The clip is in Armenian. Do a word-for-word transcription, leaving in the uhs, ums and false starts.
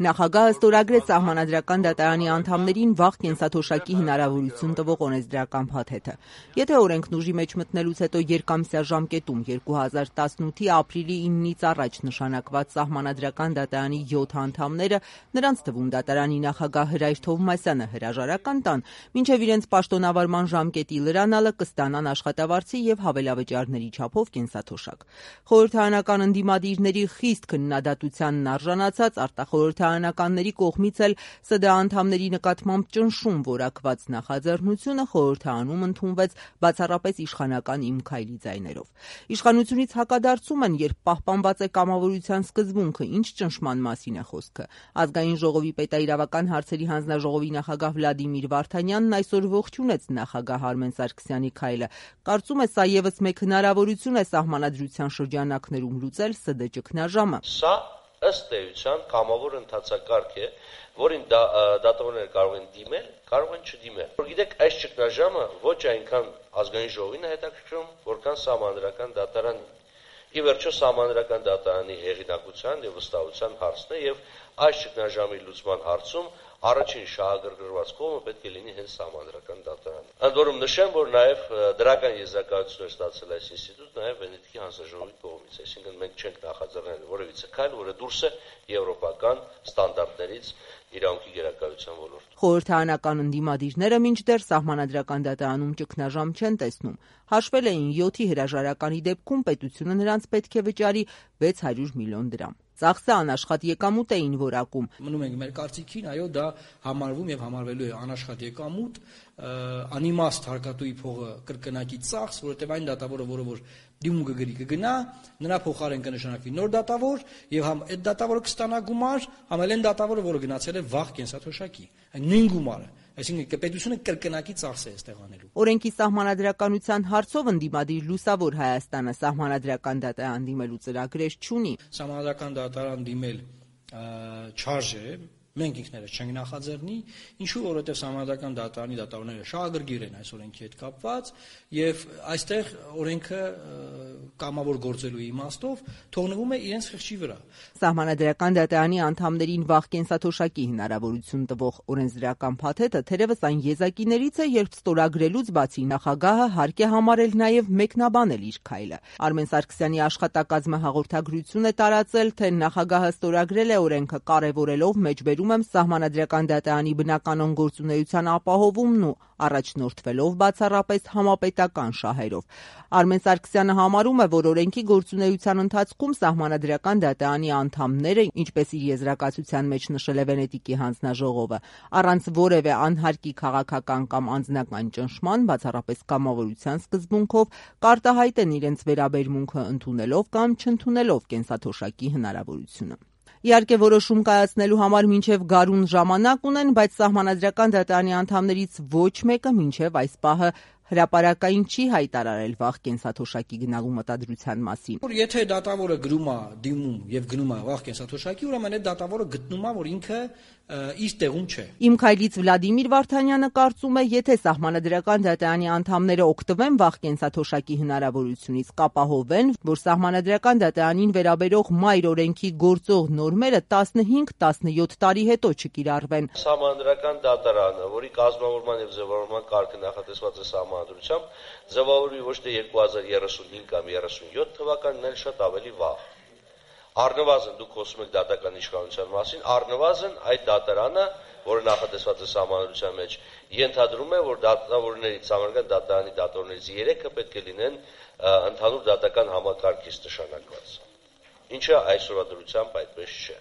Նախագահը ստորագրեց Սահմանադրական դատարանի անդամներին վաղ կենսաթոշակի հնարավորություն տվող օրենսդրական փաթեթը։ Եթե օրենքն ուժի մեջ մտնելուց հետո երկամսյա ժամկետում երկու հազար տասնութի ապրիլի իննից առաջ նշանակված Սահմանադրական դատարանի յոթ անդամները, նրանց թվում դատարանի նախագահ Հրայր Թովմասյանը հրաժարական տան, մինչև իրենց պաշտոնավարման ժամկետի լրանալը կստանան աշխատավարձի և հավելավճարների չափով կենսաթոշակ։ Խորհրդարանական ընդդիմադիրների խիստ քննադատությանն արժանացած արտախորհրդարանականների կողմից էլ ՍԴ անդամների նկատմամբ ճնշում որակված նախաձեռնությունը խորհրդարանում ընդունվեց բացառապես իշխանական Իմ Քայլի ձայներով։ Իշխանությունից հակադարձում են, երբ պահպանված է կամավորության սկզբունքը, ինչ ճնշման մասին է խոսքը։ Ազգային ժողովի պետաիրավական հարցերի հանձնաժողովի նախագահ Վլադիմիր Վարդանյանն այսօր ողջունեց նախագահ Արմեն Սարգսյանի քայլը։ Կարծում է, սա ևս մեկ հնարավորություն է սահմանադրության շրջանակներում լուծել ՍԴ ճգնաժամը։ Սա ըստ էության կամավոր ընթացակարգ է, որին դատավորները կարող են դիմել, կարող են չդիմել։ Որ գիտեք, այս ճգնաժամը ոչ այնքան ազգային ժողովին է հետաքրքրում, որքան Սահմանադրական դատարանին։ Ի վերջո Սահմանադրական դատարանի հեղինակության եւ վստահության հարցն է եւ այս ճգնաժամի լուծման հարցում առաջին շահագրգռված կողմը պետք է լինի հենց Սահմանադրական դատարանը։ Ընդ որում նշեմ, որ նաև դրական եզրակացություն է ստացել այս ինստիտուտը նաև Վենետիկի հանձնաժողովի կողմից, այսինքն մենք չենք նախաձեռնել որևիցե քայլ, որը դուրս է եվրոպական ստանդարտներից իրավունքի գերակայության ոլորտում։ Խորհրդարանական ընդդիմադիրները մինչդեռ Սահմանադրական դատարանում ճգնաժամ չեն տեսնում։ Հաշվել էին յոթի հրաժարականի դեպքում պետությունը նրանց պետք է վճարի վեց հարյուր միլիոն դրամ։ Ծախսը անաշխատ եկամուտ էին որակում։ Մնում ենք մեր կարծիքին, այո, դա համարվում եւ համարվելու է անաշխատ եկամուտ, անիմաստ հարկատուի փողը կրկնակի ծախս, որովհետեւ այն դատավորը, որը որ դիմում կգրի կգնա, նրա փոխարեն կնշանակվի նոր դատավոր եւ համ այդ դատավորը կստանա գումար, համ էլ այն դատավորը, որը գնացել է վաղ կենսաթոշակի, այն նույն գումարը։ Այսինքն պետությունը կրկնակի ծախս է այստեղ անելու։ Օրենքի սահմանադրականության հարցով ընդդիմադիր Լուսավոր Հայաստանը Սահմանադրական դատարան դիմելու ծրագրեր չունի։ Սահմանադրական դատարան դիմել չարժե, մենք ինքներս չենք նախաձեռնի, ինչու որովհետև Սահմանադրական դատարանի դատավորները շահագրգիռ են այս օրենքի հետ կապված եւ այստեղ օրենքը կամավոր գործելու իմաստով թողնվում է իրենց խղճի վրա։ Սահմանադրական դատարանի անդամներին վաղ կենսաթոշակի հնարավորություն տվող օրենսդրական փաթեթը թերևս այն եզակիներից է, երբ ստորագրելուց բացի նախագահը հարկ է համարել նաեւ մեկնաբանել իր քայլը։ Արմեն Սարգսյանի աշխատակազմը հաղորդագրություն է տարածել, թե նախագահը ստորագրել է օրենքը կարևորելով մեջբերում եմ Սահմանադրական դատարանի բնականon գործունեության ապահովումն ու առաջնորդվելով բացառապես համապետական շահերով։ Արմեն Սարգսյանը համարում է, որ օրենքի գործունեության ընթացքում Սահմանադրական դատարանի անդամները, ինչպես իր եզրակացության մեջ նշել է Վենետիկի հանձնաժողովը, առանց որևէ անհարկի քաղաքական կամ անձնական ճնշման, բացառապես կամավորության սկզբունքով, կարտահայտեն իրենց վերաբերմունքը ընդունելով կամ չընդունելով կենսաթոշակի հնարավորությունը։ Իհարկե որոշում կայացնելու համար մինչև գարուն ժամանակ ունեն, բայց Սահմանադրական դատարանի անդամներից ոչ մեկը մինչև այս պահը հրապարակային չի հայտարարել վաղ կենսաթոշակի գնալու մտադրության մասին։ Եթե դատավորը գրում է դիմում եւ գնում է վաղ կենսաթոշակի, ուրեմն այդ դատավորը գտնում է, որ ինքը իր տեղում չէ։ Իմ Քայլից Վլադիմիր Վարդանյանը կարծում է, եթե Սահմանադրական դատարանի անդամները օգտվեն վաղ կենսաթոշակի հնարավորությունից, կապահովեն, որ Սահմանադրական դատարանին վերաբերող մայր օրենքի գործող նորմերը տասնհինգ տասնյոթ տարի հետո չկիրառվեն։ Սահմանադրական դատարանը, որի կազմավորման եւ ձևավորման կարգը նախատեսված է Սահմանադրությամբ, ձևավորվի ոչ թե երկու հազար երեսունհինգ կամ երեսունյոթ թվականին, այլ շատ ավելի վաղ։ Առնվազն դուք խոսում եք դատական իշխանության մասին, առնվազն այդ դատարանը, որը նախատեսված է Սահմանադրության մեջ, ենթադրում է, որ դատավորներից Սահմանադրական դատարանի դատավորներից երեքը պետք է լինեն ընդհանուր դատական համակարգից նշանակված, ինչը այսօրվա դրությամբ այդպես չէ։